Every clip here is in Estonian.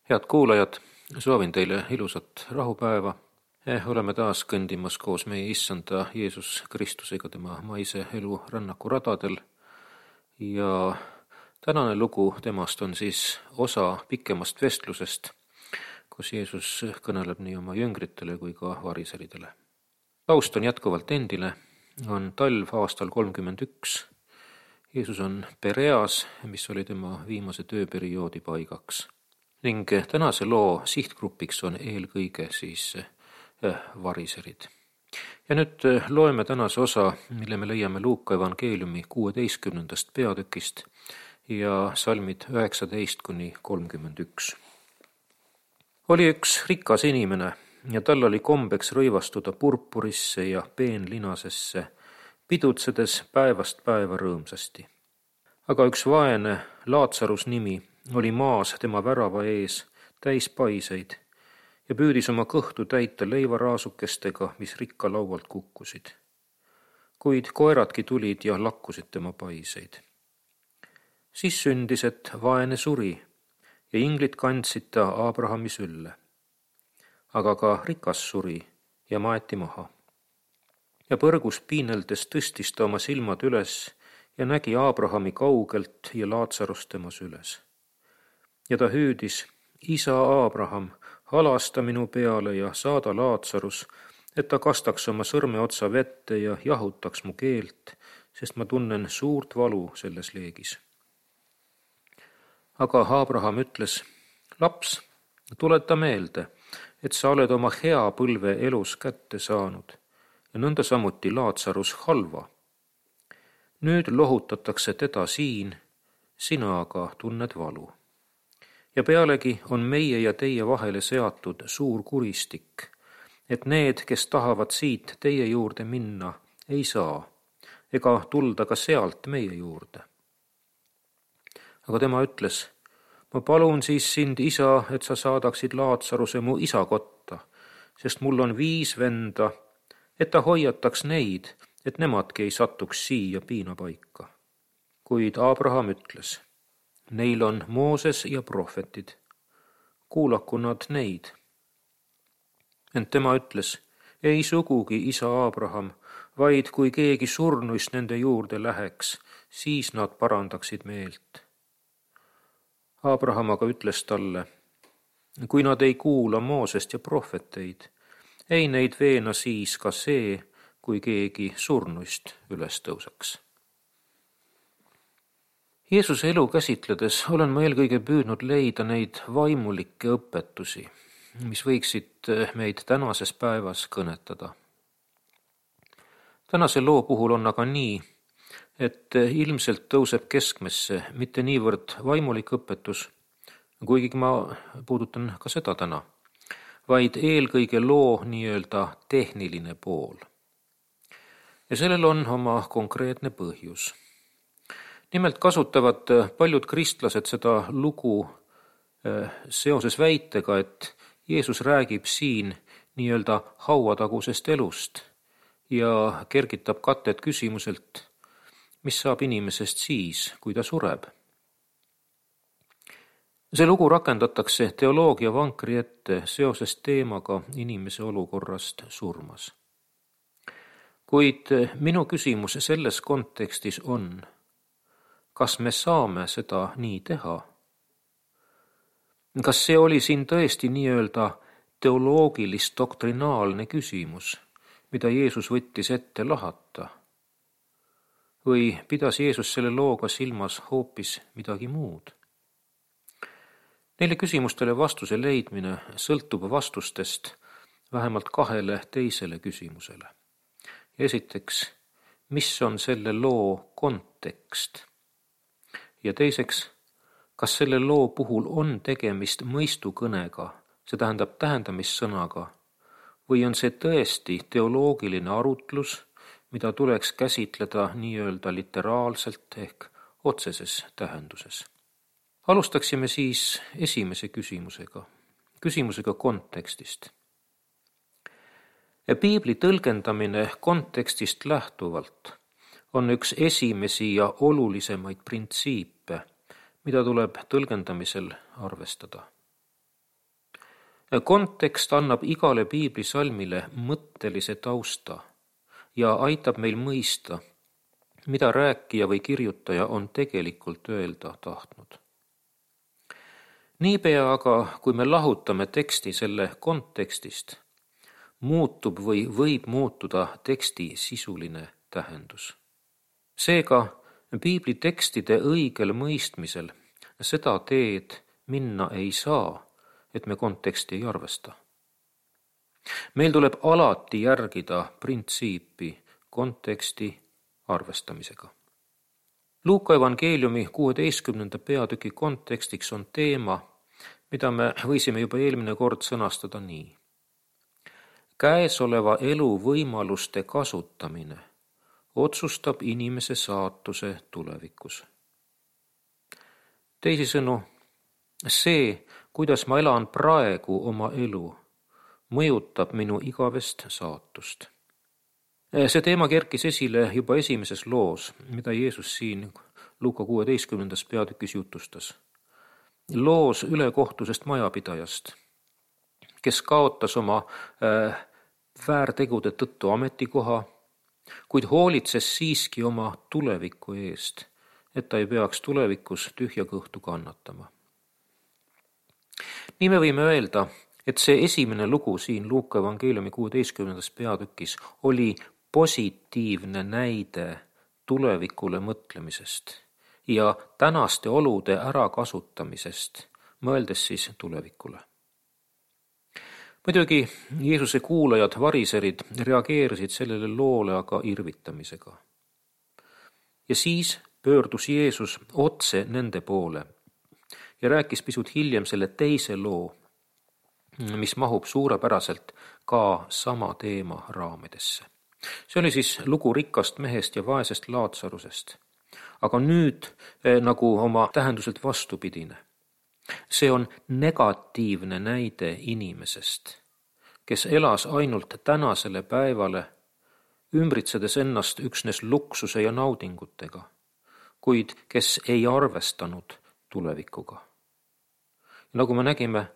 Head kuulajad, soovin teile ilusat rahupäeva. Oleme taas kõndimas koos meie issanda Jeesus Kristusega tema maise elu rännaku radadel ja tänane lugu temast on siis osa pikemast vestlusest, kus Jeesus kõneleb nii oma jüngritele kui ka variseridele. Taust on jätkuvalt endine, on talv aastal 31. Jeesus on Pereas, mis oli tema viimase tööperioodi paigaks. Ning tänase loo sihtgrupiks on eelkõige siis variserid. Ja nüüd loeme tänase osa, mille me leiame Luuka evangeeliumi 16. peatükist ja salmid 19-31. Oli üks rikas inimene ja tal oli kombeks rõivastuda purpurisse ja peenlinasesse, pidutsedes päevast päeva rõõmsasti. Aga üks vaene, Laatsarus nimi, oli maas tema värava ees täis paiseid ja püüdis oma kõhtu täita leivaraasukestega, mis rikka laualt kukkusid. Kuid koeradki tulid ja lakkusid tema paiseid. Siis sündis, et vaene suri ja inglid kandsid ta Abrahami sülle. Aga ka rikas suri ja maeti maha. Ja põrgus piineldes tõstis ta oma silmad üles ja nägi Abrahami kaugelt ja Laatsarust tema süles. Ja ta hüüdis, isa Abraham, halasta minu peale ja saada Laatsarus, et ta kastaks oma sõrmeotsa vette ja jahutaks mu keelt, sest ma tunnen suurt valu selles leegis. Aga Abraham ütles, laps, tuleta meelde, et sa oled oma hea põlve elus kätte saanud ja nõnda samuti Laatsarus halva. Nüüd lohutatakse teda siin, sina aga tunned valu. Ja pealegi on meie ja teie vahele seatud suur kuristik, et need, kes tahavad siit teie juurde minna, ei saa, ega tulda ka sealt meie juurde. Aga tema ütles, ma palun siis sind, isa, et sa saadaksid Laatsaruse mu isa kotta, sest mul on 5 venda, et ta hoiataks neid, et nemadki ei satuks siia piinapaika. Kuid Abraham ütles, neil on Mooses ja prohvetid, kuulaku nad neid. Ent tema ütles, ei sugugi, isa Abraham, vaid kui keegi surnuist nende juurde läheks, siis nad parandaksid meelt. Abraham aga ütles talle, kui nad ei kuula Moosest ja prohveteid, ei neid veena siis ka see, kui keegi surnuist üles tõusaks. Jeesuse elu käsitledes olen ma eelkõige püüdnud leida neid vaimulikke õpetusi, mis võiksid meid tänases päevas kõnetada. Tänase loo puhul on aga nii, et ilmselt tõuseb keskmesse mitte niivõrd vaimulik õpetus, kuigi ma puudutan ka seda täna, vaid eelkõige loo nii-öelda tehniline pool. Ja sellel on oma konkreetne põhjus. Nimelt kasutavad paljud kristlased seda lugu seoses väitega, et Jeesus räägib siin nii-öelda hauatagusest elust ja kergitab katet küsimuselt, mis saab inimesest siis, kui ta sureb. See lugu rakendatakse teoloogia vankri ette seoses teemaga inimese olukorrast surmas. Kuid minu küsimus selles kontekstis on, kas me saame seda nii teha? Kas see oli siin tõesti nii-öelda teoloogilis-doktrinaalne küsimus, mida Jeesus võttis ette lahata? Või pidas Jeesus selle looga silmas hoopis midagi muud? Neile küsimustele vastuse leidmine sõltub vastustest vähemalt 2 teisele küsimusele. Esiteks, mis on selle loo kontekst? Ja teiseks, kas selle loo puhul on tegemist mõistukõnega, see tähendab tähendamissõnaga, või on see tõesti teoloogiline arutlus, mida tuleks käsitleda nii-öelda literaalselt ehk otseses tähenduses. Alustaksime siis esimese küsimusega kontekstist. Piibli tõlgendamine kontekstist lähtuvalt on üks esimesi ja olulisemaid printsiipe, mida tuleb tõlgendamisel arvestada. Kontekst annab igale piiblisalmile mõttelise tausta ja aitab meil mõista, mida rääkija või kirjutaja on tegelikult öelda tahtnud. Niipea aga, kui me lahutame teksti selle kontekstist, muutub või võib muutuda teksti sisuline tähendus. Seega, piibli tekstide õigel mõistmisel seda teed minna ei saa, et me konteksti ei arvesta. Meil tuleb alati järgida printsiipi konteksti arvestamisega. Luuka evangeeliumi 16. peatüki kontekstiks on teema, mida me võisime juba eelmine kord sõnastada nii. Käesoleva elu võimaluste kasutamine otsustab inimese saatuse tulevikus. Teisisõnu, see, kuidas ma elan praegu oma elu, mõjutab minu igavest saatust. See teema kerkis esile juba esimeses loos, mida Jeesus siin Luuka 16. peatükis jutustas. Loos ülekohtusest majapidajast, kes kaotas oma väärtegude tõttu ametikoha, kuid hoolitses siiski oma tuleviku eest, et ta ei peaks tulevikus tühja kõhtu kannatama. Nii me võime öelda, et see esimene lugu siin Luuka evangeeliumi 16. peatükis oli positiivne näide tulevikule mõtlemisest ja tänaste olude ärakasutamisest, mõeldes siis tulevikule. Muidugi Jeesuse kuulajad, variserid, reageerisid sellele loole aga irvitamisega. Ja siis pöördus Jeesus otse nende poole ja rääkis pisut hiljem selle teise loo, mis mahub suurepäraselt ka sama teema raamidesse. See oli siis lugu rikkast mehest ja vaesest Laatsarusest, aga nüüd nagu oma tähenduselt vastupidine. See on negatiivne näide inimesest, kes elas ainult tänasele päevale, ümbritsedes ennast üksnes luksuse ja naudingutega, kuid kes ei arvestanud tulevikuga. Nagu me nägime,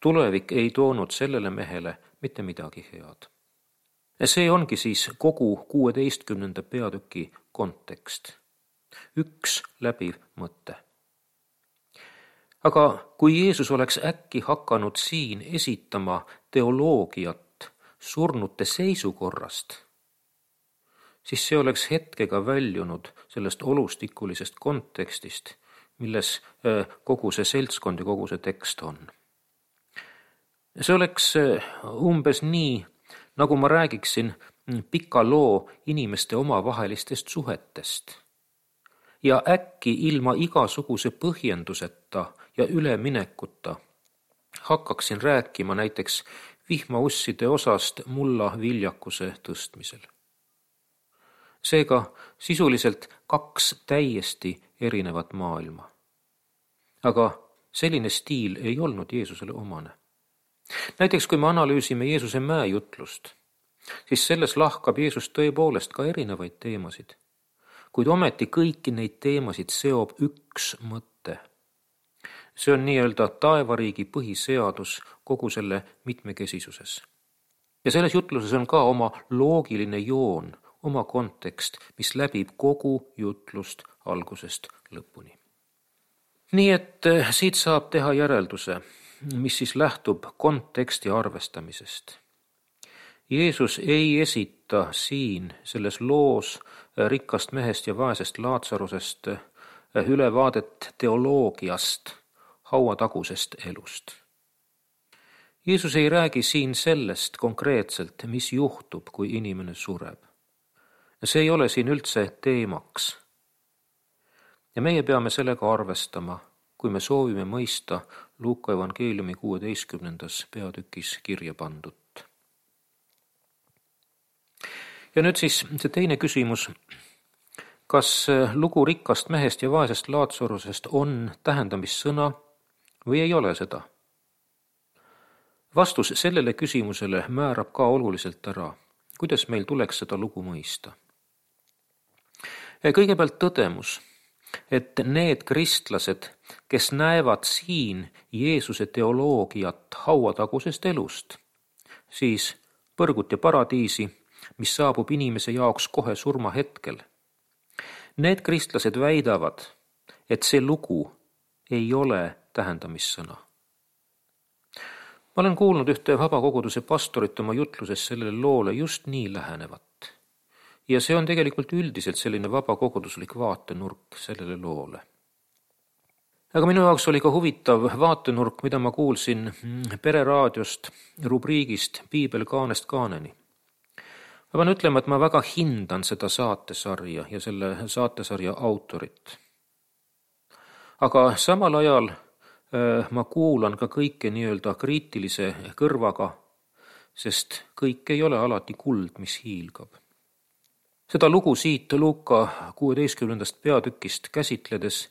tulevik ei toonud sellele mehele mitte midagi head. See ongi siis kogu 16. peatüki kontekst. Üks läbiv mõte. Aga kui Jeesus oleks äkki hakanud siin esitama teoloogiat surnute seisukorrast, siis see oleks hetkega väljunud sellest olustikulisest kontekstist, milles kogu see seltskond ja kogu see tekst on. See oleks umbes nii, nagu ma räägiksin pika loo inimeste omavahelistest suhetest. Ja äkki ilma igasuguse põhjenduseta ja üleminekuta hakkaksin rääkima näiteks vihmausside osast mulla viljakuse tõstmisel. Seega sisuliselt 2 täiesti erinevat maailma. Aga selline stiil ei olnud Jeesusele omane. Näiteks kui me analüüsime Jeesuse mäejutlust, siis selles lahkab Jeesus tõepoolest ka erinevaid teemasid. Kuid ometi kõiki neid teemasid seob üks mõte. See on nii-öelda taevariigi põhiseadus kogu selle mitmekesisuses. Ja selles jutluses on ka oma loogiline joon, oma kontekst, mis läbib kogu jutlust algusest lõpuni. Nii et siit saab teha järelduse, mis siis lähtub konteksti arvestamisest. Jeesus ei esita siin selles loos rikkast mehest ja vaesest Laatsarusest ülevaadet teoloogiast, hauatagusest elust. Jeesus ei räägi siin sellest konkreetselt, mis juhtub, kui inimene sureb. See ei ole siin üldse teemaks. Ja meie peame sellega arvestama, kui me soovime mõista Luuka evangeeliumi 16. peatükis kirja pandut. Ja nüüd siis see teine küsimus, kas lugu rikkast mehest ja vaesest Laatsarusest on tähendamissõna või ei ole seda? Vastus sellele küsimusele määrab ka oluliselt ära, kuidas meil tuleks seda lugu mõista. Kõigepealt tõdemus, et need kristlased, kes näevad siin Jeesuse teoloogiat hauatagusest elust, siis põrgut ja paradiisi, mis saabub inimese jaoks kohe surmahetkel. Need kristlased väidavad, et see lugu ei ole tähendamissõna. Ma olen kuulnud ühte vabakoguduse pastorit oma jutluses sellele loole just nii lähenevat. Ja see on tegelikult üldiselt selline vabakoguduslik vaatenurk sellele loole. Aga minu jaoks oli ka huvitav vaatenurk, mida ma kuulsin Pereraadiost rubriigist Piibel kaanest kaaneni. Ma pean ütlema, et ma väga hindan seda saatesarja ja selle saatesarja autorit. Aga samal ajal ma kuulan ka kõike nii-öelda kriitilise kõrvaga, sest kõik ei ole alati kuld, mis hiilgab. Seda lugu siit Luuka 16. peatükist käsitledes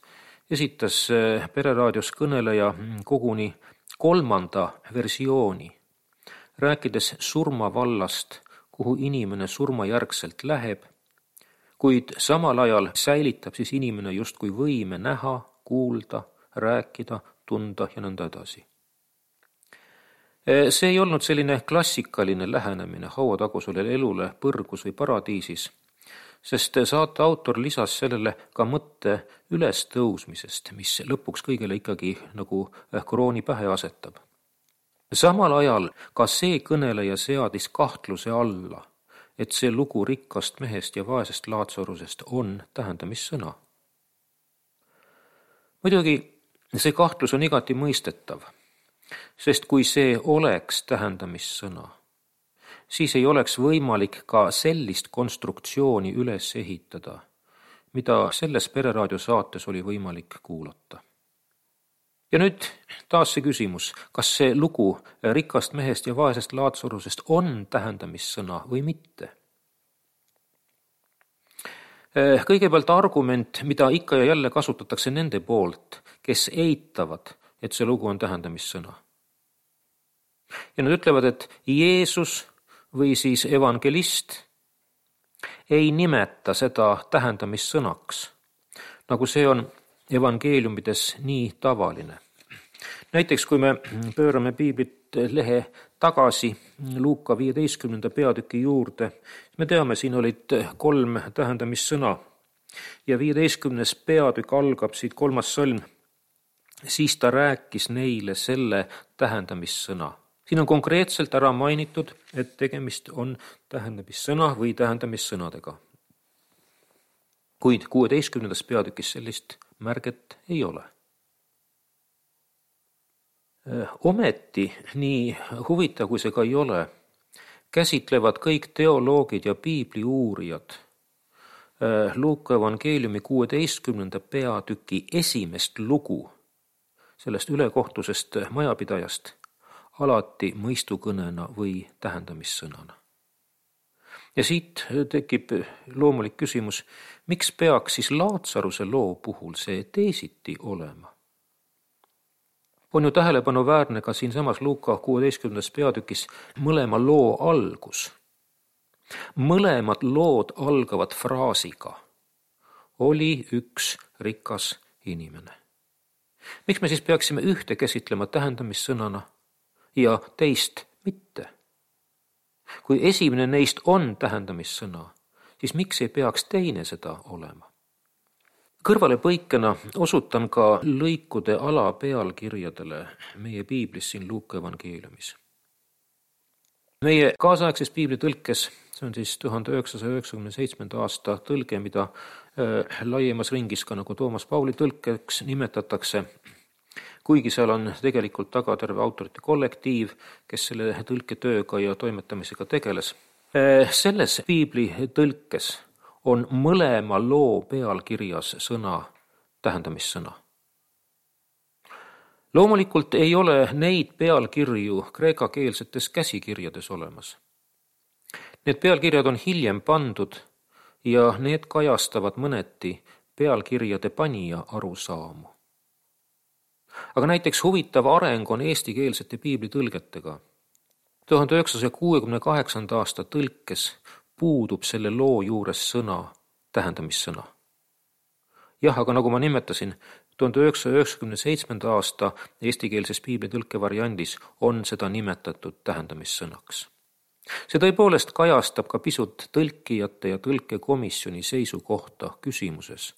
esitas Pereraadios kõneleja koguni 3. versiooni, rääkides surmavallast, kuhu inimene surmajärgselt läheb, kuid samal ajal säilitab siis inimene justkui võime näha, kuulda, rääkida, tunda ja nõnda edasi. See ei olnud selline klassikaline lähenemine hauatagusele elule põrgus või paradiisis, sest saate autor lisas sellele ka mõtte ülestõusmisest, mis lõpuks kõigele ikkagi nagu krooni pähe asetab. Samal ajal ka see kõneleja seadis kahtluse alla, et see lugu rikkast mehest ja vaesest Laatsarusest on tähendamissõna. Muidugi see kahtlus on igati mõistetav, sest kui see oleks tähendamissõna, siis ei oleks võimalik ka sellist konstruktsiooni üles ehitada, mida selles Pereraadio saates oli võimalik kuulata. Ja nüüd taas see küsimus, kas see lugu rikkast mehest ja vaesest Laatsarusest on tähendamissõna või mitte? Kõigepealt argument, mida ikka ja jälle kasutatakse nende poolt, kes eitavad, et see lugu on tähendamissõna. Ja nad ütlevad, et Jeesus või siis evangelist ei nimeta seda tähendamissõnaks, nagu see on evangeeliumides nii tavaline. Näiteks kui me pöörame piiblit lehe tagasi Luuka 15. peatüki juurde, me teame, siin olid 3 tähendamissõna ja 15. peatükk algab siit 3. salm. Siis ta rääkis neile selle tähendamissõna. Siin on konkreetselt ära mainitud, et tegemist on tähendamissõna või tähendamissõnadega. Kuid 16. peatükis sellist märget ei ole. Ometi, nii huvitav kui see ka ei ole, käsitlevad kõik teoloogid ja piibli uurijad Luuka evangeeliumi 16. peatüki esimest lugu sellest ülekohtusest majapidajast alati mõistukõnena või tähendamissõnana. Ja siit tekib loomulik küsimus, miks peaks siis Laatsaruse loo puhul see teisiti olema? On ju tähelepanuväärne ka siinsamas Luuka 16. peatükis mõlema loo algus. Mõlemad lood algavad fraasiga. Oli üks rikas inimene. Miks me siis peaksime ühte käsitlema tähendamissõnana ja teist mitte? Kui esimene neist on tähendamissõna, siis miks ei peaks teine seda olema? Kõrvalepõikena osutan ka lõikude alapealkirjadele meie piiblis siin Luuka evangeeliumis. Meie kaasaegses piiblitõlkes, see on siis 1997. aasta tõlge, mida laiemas ringis ka nagu Toomas Pauli tõlkeks nimetatakse, kuigi seal on tegelikult taga terve autorite kollektiiv, kes selle tõlketööga ja toimetamisega tegeles. Selles piibli tõlkes on mõlema loo pealkirjas sõna tähendamissõna. Loomulikult ei ole neid pealkirju kreekakeelsetes käsikirjades olemas. Need pealkirjad on hiljem pandud ja need kajastavad mõneti pealkirjade panija arusaamu. Aga näiteks huvitav areng on eestikeelsete piiblitõlgetega. 1968. aasta tõlkes puudub selle loo juures sõna tähendamissõna. Jah, aga nagu ma nimetasin, 1997. aasta eestikeelses piiblitõlke variandis on seda nimetatud tähendamissõnaks. See tõepoolest kajastab ka pisut tõlkijate ja tõlkekomisjoni seisukohta küsimuses,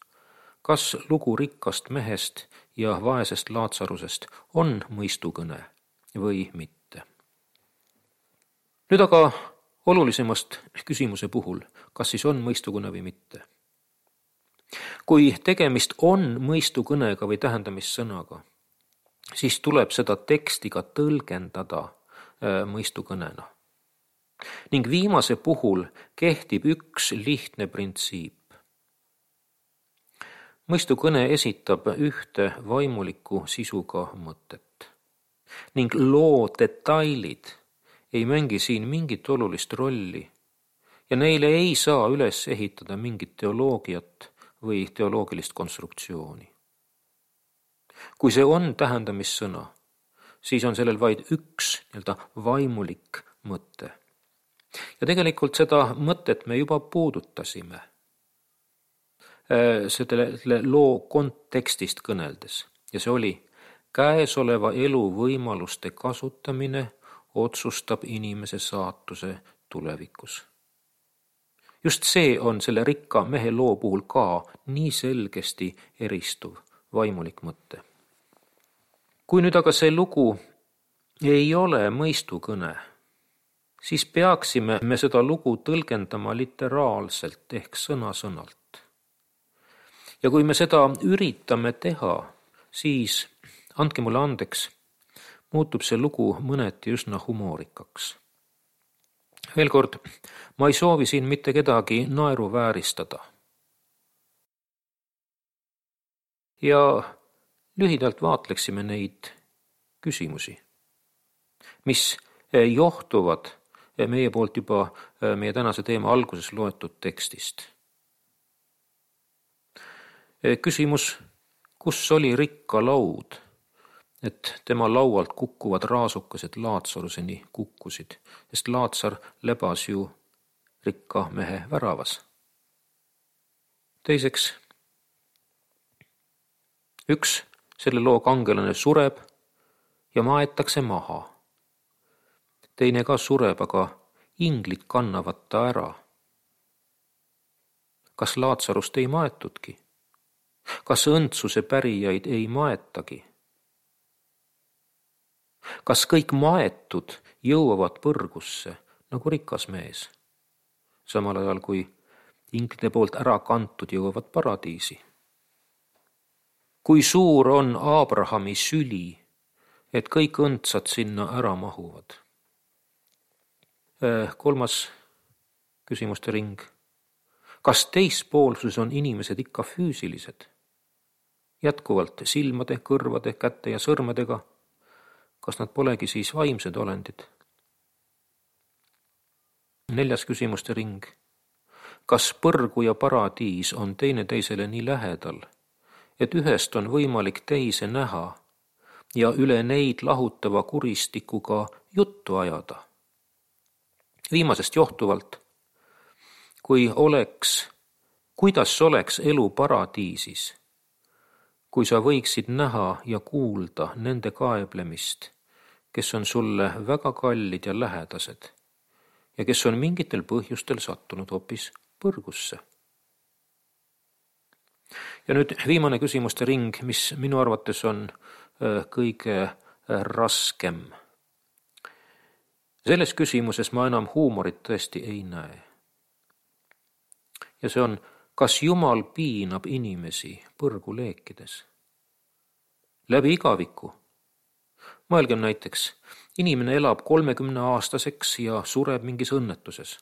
kas lugu rikkast mehest ja vaesest Laatsarusest on mõistukõne või mitte. Nüüd aga olulisemast küsimuse puhul, kas siis on mõistukõne või mitte. Kui tegemist on mõistukõnega või tähendamissõnaga, siis tuleb seda teksti ka tõlgendada mõistukõnena. Ning viimase puhul kehtib üks lihtne printsiip. Mõistukõne esitab ühte vaimuliku sisuga mõtet ning loo detailid ei mängi siin mingit olulist rolli ja neile ei saa üles ehitada mingit teoloogiat või teoloogilist konstruktsiooni. Kui see on tähendamissõna, siis on sellel vaid üks vaimulik mõte. Ja tegelikult seda mõtet me juba puudutasime selle loo kontekstist kõneldes. Ja see oli, käesoleva elu võimaluste kasutamine otsustab inimese saatuse tulevikus. Just see on selle rikka mehe loo puhul ka nii selgesti eristuv vaimulik mõte. Kui nüüd aga see lugu ei ole mõistukõne, siis peaksime me seda lugu tõlgendama literaalselt ehk sõna-sõnalt. Ja kui me seda üritame teha, siis, andke mulle andeks, muutub see lugu mõneti üsna humoorikaks. Veel kord, ma ei soovi siin mitte kedagi naeruvääristada. Ja lühidalt vaatleksime neid küsimusi, mis johtuvad meie poolt juba meie tänase teema alguses loetud tekstist. Küsimus, kus oli rikka laud, et tema laualt kukkuvad raasukesed Laatsaruseni kukkusid, sest Laatsar lebas ju rikka mehe väravas. Teiseks, üks selle loo kangelane sureb ja maetakse maha. Teine ka sureb, aga inglid kannavad ta ära. Kas Laatsarust ei maetudki? Kas õndsuse pärijaid ei maetagi? Kas kõik maetud jõuavad põrgusse nagu rikas mees, samal ajal kui inglide poolt ära kantud jõuavad paradiisi? Kui suur on Abrahami süli, et kõik õndsad sinna ära mahuvad? Kolmas küsimuste ring. Kas teispoolsus on inimesed ikka füüsilised? Jätkuvalt silmade, kõrvade, käte ja sõrmedega? Kas nad polegi siis vaimsed olendid? Neljas küsimuste ring. Kas põrgu ja paradiis on teineteisele nii lähedal, et ühest on võimalik teise näha ja üle neid lahutava kuristikuga juttu ajada? Viimasest johtuvalt, kuidas oleks elu paradiisis, kui sa võiksid näha ja kuulda nende kaeblemist, kes on sulle väga kallid ja lähedased ja kes on mingitel põhjustel sattunud hoopis põrgusse. Ja nüüd viimane küsimuste ring, mis minu arvates on kõige raskem. Selles küsimuses ma enam huumorit tõesti ei näe. Ja see on, kas Jumal piinab inimesi põrgu leekides? Läbi igaviku. Mõelgem näiteks, inimene elab 30-aastaseks ja sureb mingis õnnetuses.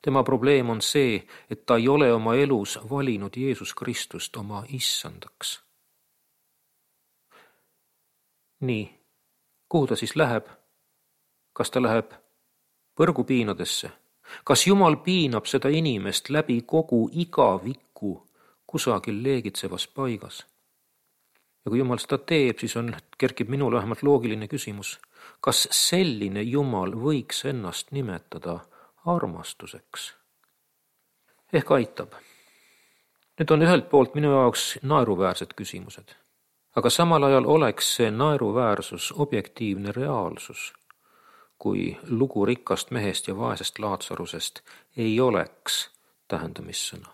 Tema probleem on see, et ta ei ole oma elus valinud Jeesus Kristust oma issandaks. Nii, kuhu ta siis läheb? Kas ta läheb põrgupiinadesse? Kas Jumal piinab seda inimest läbi kogu igaviku kusagil leegitsevas paigas? Ja kui Jumal seda teeb, siis kerkib minule vähemalt loogiline küsimus, kas selline Jumal võiks ennast nimetada armastuseks? Ehk aitab. Need on ühelt poolt minu jaoks naeruväärsed küsimused. aga samal ajal oleks see naeruväärsus objektiivne reaalsus, kui lugu rikkast mehest ja vaesest Laatsarusest ei oleks tähendamissõna.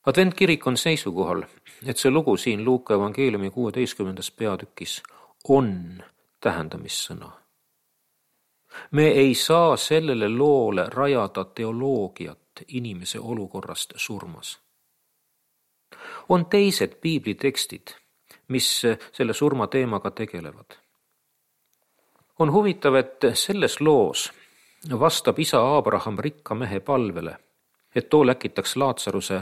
Adventkirik on seisukohal, et see lugu siin Luuka evangeeliumi 16. peatükis on tähendamissõna. Me ei saa sellele loole rajada teoloogiat inimese olukorrast surmas. On teised piiblitekstid, mis selle surma teemaga tegelevad. On huvitav, et selles loos vastab isa Abraham rikka mehe palvele, et too läkitaks Laatsaruse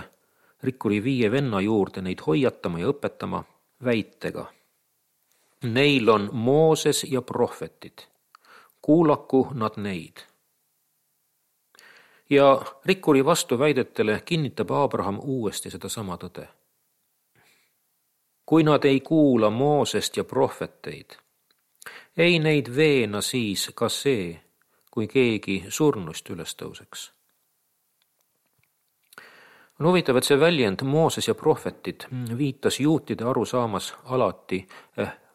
rikkuri 5 venna juurde neid hoiatama ja õpetama väitega. Neil on Mooses ja prohvetid, kuulaku nad neid. Ja rikkuri vastuväidetele kinnitab Abraham uuesti sedasama tõde. Kui nad ei kuula Moosest ja prohveteid, ei neid veena siis ka see, kui keegi surnust üles tõuseks. On huvitav, et see väljend Mooses ja prohvetid viitas juutide arusaamas alati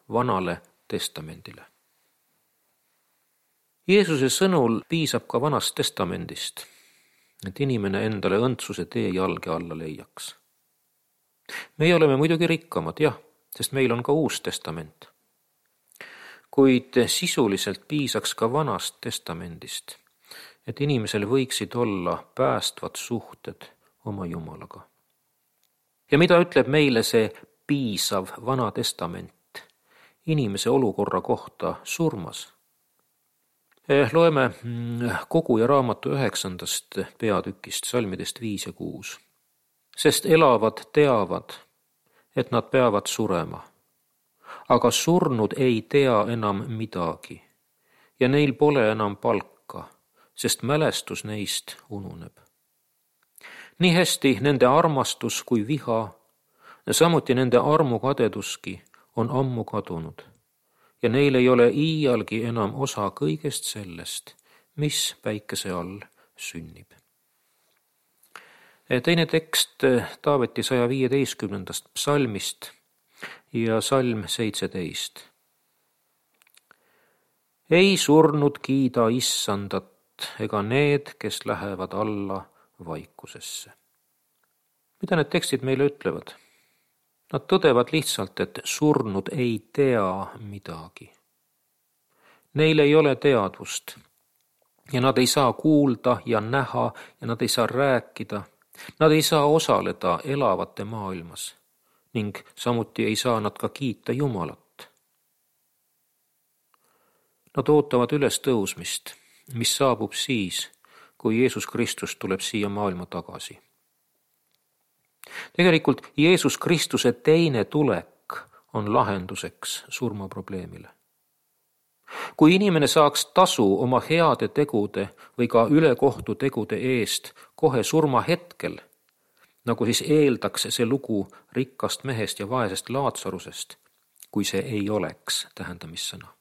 vanale testamendile. Jeesuse sõnul piisab ka vanast testamendist, et inimene endale õndsuse tee jalge alla leiaks. Meie oleme muidugi rikkamad, jah, sest meil on ka uus testament. Kuid sisuliselt piisaks ka vanast testamendist, et inimesel võiksid olla päästvad suhted oma Jumalaga. Ja mida ütleb meile see piisav vana testament inimese olukorra kohta surmas? Loeme Koguja raamatu 9. peatükist, salmidest 5 ja 6. Sest elavad teavad, et nad peavad surema, aga surnud ei tea enam midagi ja neil pole enam palka, sest mälestus neist ununeb. Nii hästi nende armastus kui viha, samuti nende armukadeduski on ammu kadunud ja neil ei ole iialgi enam osa kõigest sellest, mis päikese all sünnib. Teine tekst Taaveti 115. psalmist ja salm 17. Ei surnud kiida issandat ega need, kes lähevad alla vaikusesse. Mida need tekstid meile ütlevad? Nad tõdevad lihtsalt, et surnud ei tea midagi. Neil ei ole teadvust ja nad ei saa kuulda ja näha ja nad ei saa rääkida. Nad ei saa osaleda elavate maailmas ning samuti ei saa nad ka kiita Jumalat. Nad ootavad üles tõusmist, mis saabub siis, kui Jeesus Kristus tuleb siia maailma tagasi. Tegelikult Jeesus Kristuse teine tulek on lahenduseks surmaprobleemile. Kui inimene saaks tasu oma heade tegude või ka ülekohtu tegude eest kohe surma hetkel, nagu siis eeldaks see lugu rikkast mehest ja vaesest Laatsarusest, kui see ei oleks tähendamissõna,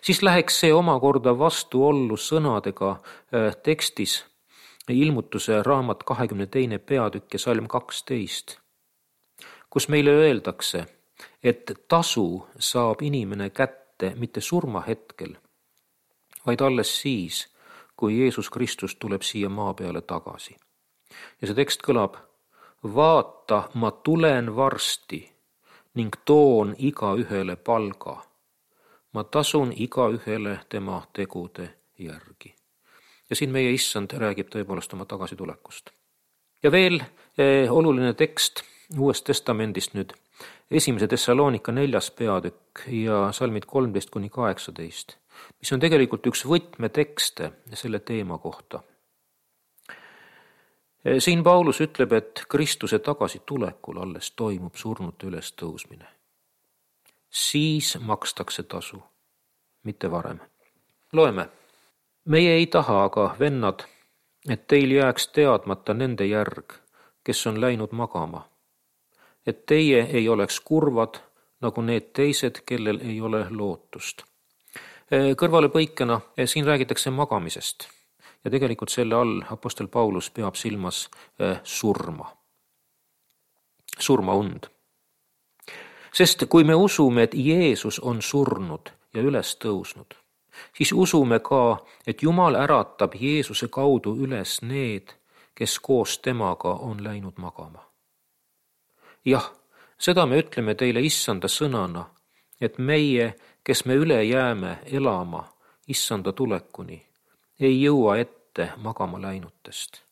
siis läheks see omakorda vastuollu sõnadega tekstis Ilmutuse raamat 22. peatükk ja salm 12, kus meile öeldakse, et tasu saab inimene kätte mitte surmahetkel, vaid alles siis, kui Jeesus Kristus tuleb siia maa peale tagasi. Ja see tekst kõlab, vaata, ma tulen varsti ning toon igaühele palga. Ma tasun igaühele tema tegude järgi. Ja siin meie issand räägib tõepoolest oma tagasitulekust. Ja veel oluline tekst Uuest testamendist nüüd, 1. Thessalonika 4. peatükk ja salmid 13-18, mis on tegelikult üks võtmetekste selle teema kohta. Siin Paulus ütleb, et Kristuse tagasitulekul alles toimub surnute ülestõusmine. Siis makstakse tasu, mitte varem. Loeme. Meie ei taha aga, vennad, et teil jääks teadmata nende järg, kes on läinud magama, et teie ei oleks kurvad, nagu need teised, kellel ei ole lootust. Kõrvalepõikena siin räägitakse magamisest ja tegelikult selle all apostel Paulus peab silmas surmaund. Sest kui me usume, et Jeesus on surnud ja üles tõusnud, siis usume ka, et Jumal äratab Jeesuse kaudu üles need, kes koos temaga on läinud magama. Jah, seda me ütleme teile issanda sõnana, et meie, kes me üle jääme elama issanda tulekuni, ei jõua ette magama läinutest.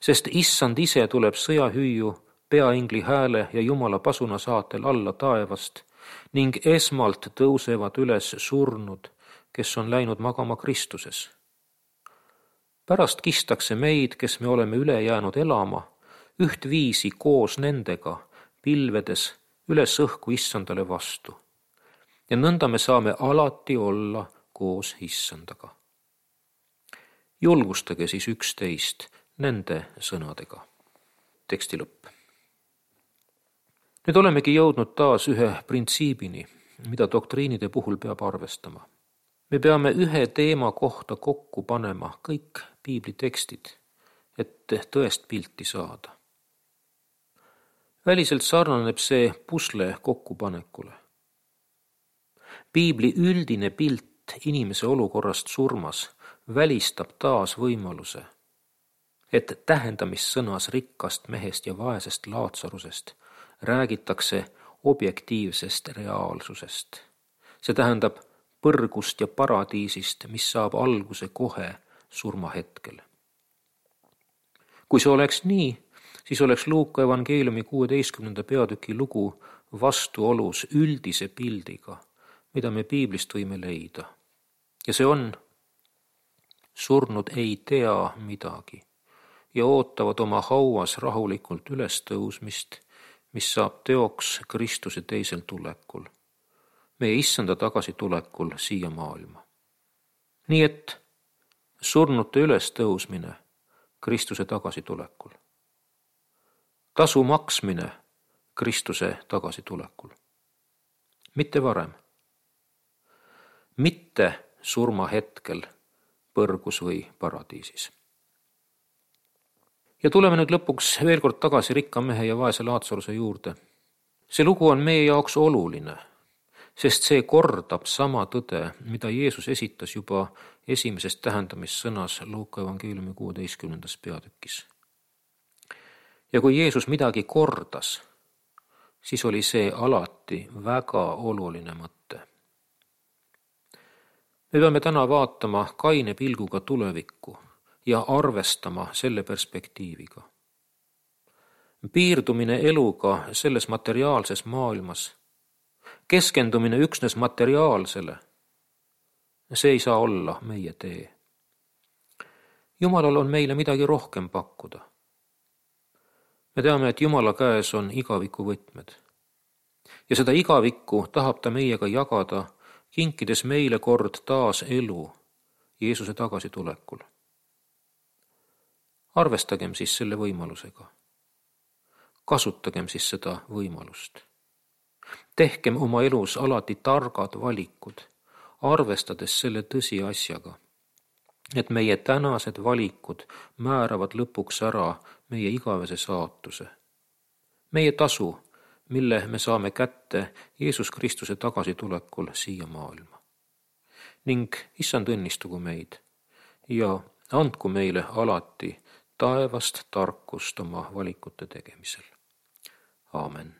Sest issand ise tuleb sõjahüüu, peaingli hääle ja Jumala pasuna saatel alla taevast ning esmalt tõusevad üles surnud, kes on läinud magama Kristuses. Pärast kistakse meid, kes me oleme üle jäänud elama, ühtviisi koos nendega, pilvedes üles õhku issandale vastu. Ja nõnda me saame alati olla koos issandaga. Julgustage siis üksteist nende sõnadega. Teksti lõpp. Nüüd olemegi jõudnud taas ühe printsiibini, mida doktriinide puhul peab arvestama. Me peame ühe teema kohta kokku panema kõik piiblitekstid, et tõest pilti saada. Väliselt sarnaneb see pusle kokkupanekule. Piibli üldine pilt inimese olukorrast surmas välistab taas võimaluse, et tähendamissõnas rikkast mehest ja vaesest Laatsarusest räägitakse objektiivsest reaalsusest. See tähendab põrgust ja paradiisist, mis saab alguse kohe surmahetkel. Kui see oleks nii, siis oleks Luuka evangeeliumi 16. peatüki lugu vastuolus üldise pildiga, mida me piiblist võime leida. Ja see on: surnud ei tea midagi ja ootavad oma hauas rahulikult ülestõusmist, mis saab teoks Kristuse teisel tulekul, meie issanda tagasitulekul siia maailma. Nii et surnute ülestõusmine Kristuse tagasitulekul. Tasu maksmine Kristuse tagasitulekul. Mitte varem. Mitte surmahetkel põrgus või paradiisis. Ja tuleme nüüd lõpuks veel kord tagasi rikka mehe ja vaese Laatsaruse juurde. See lugu on meie jaoks oluline, sest see kordab sama tõde, mida Jeesus esitas juba esimesest tähendamissõnas Luuka evangeeliumi 16. peatükis. Ja kui Jeesus midagi kordas, siis oli see alati väga oluline mõte. Me peame täna vaatama kaine pilguga tulevikku ja arvestama selle perspektiiviga. Piirdumine eluga selles materiaalses maailmas, keskendumine üksnes materiaalsele, see ei saa olla meie tee. Jumalal on meile midagi rohkem pakkuda. Me teame, et Jumala käes on igaviku võtmed. Ja seda igavikku tahab ta meiega jagada, kinkides meile kord taas elu Jeesuse tagasitulekul. Arvestagem siis selle võimalusega. Kasutagem siis seda võimalust. Tehkem oma elus alati targad valikud, arvestades selle tõsiasjaga, et meie tänased valikud määravad lõpuks ära meie igavese saatuse. Meie tasu, mille me saame kätte Jeesus Kristuse tagasitulekul siia maailma. Ning issand õnnistugu meid ja andku meile alati taevast tarkust oma valikute tegemisel. Aamen.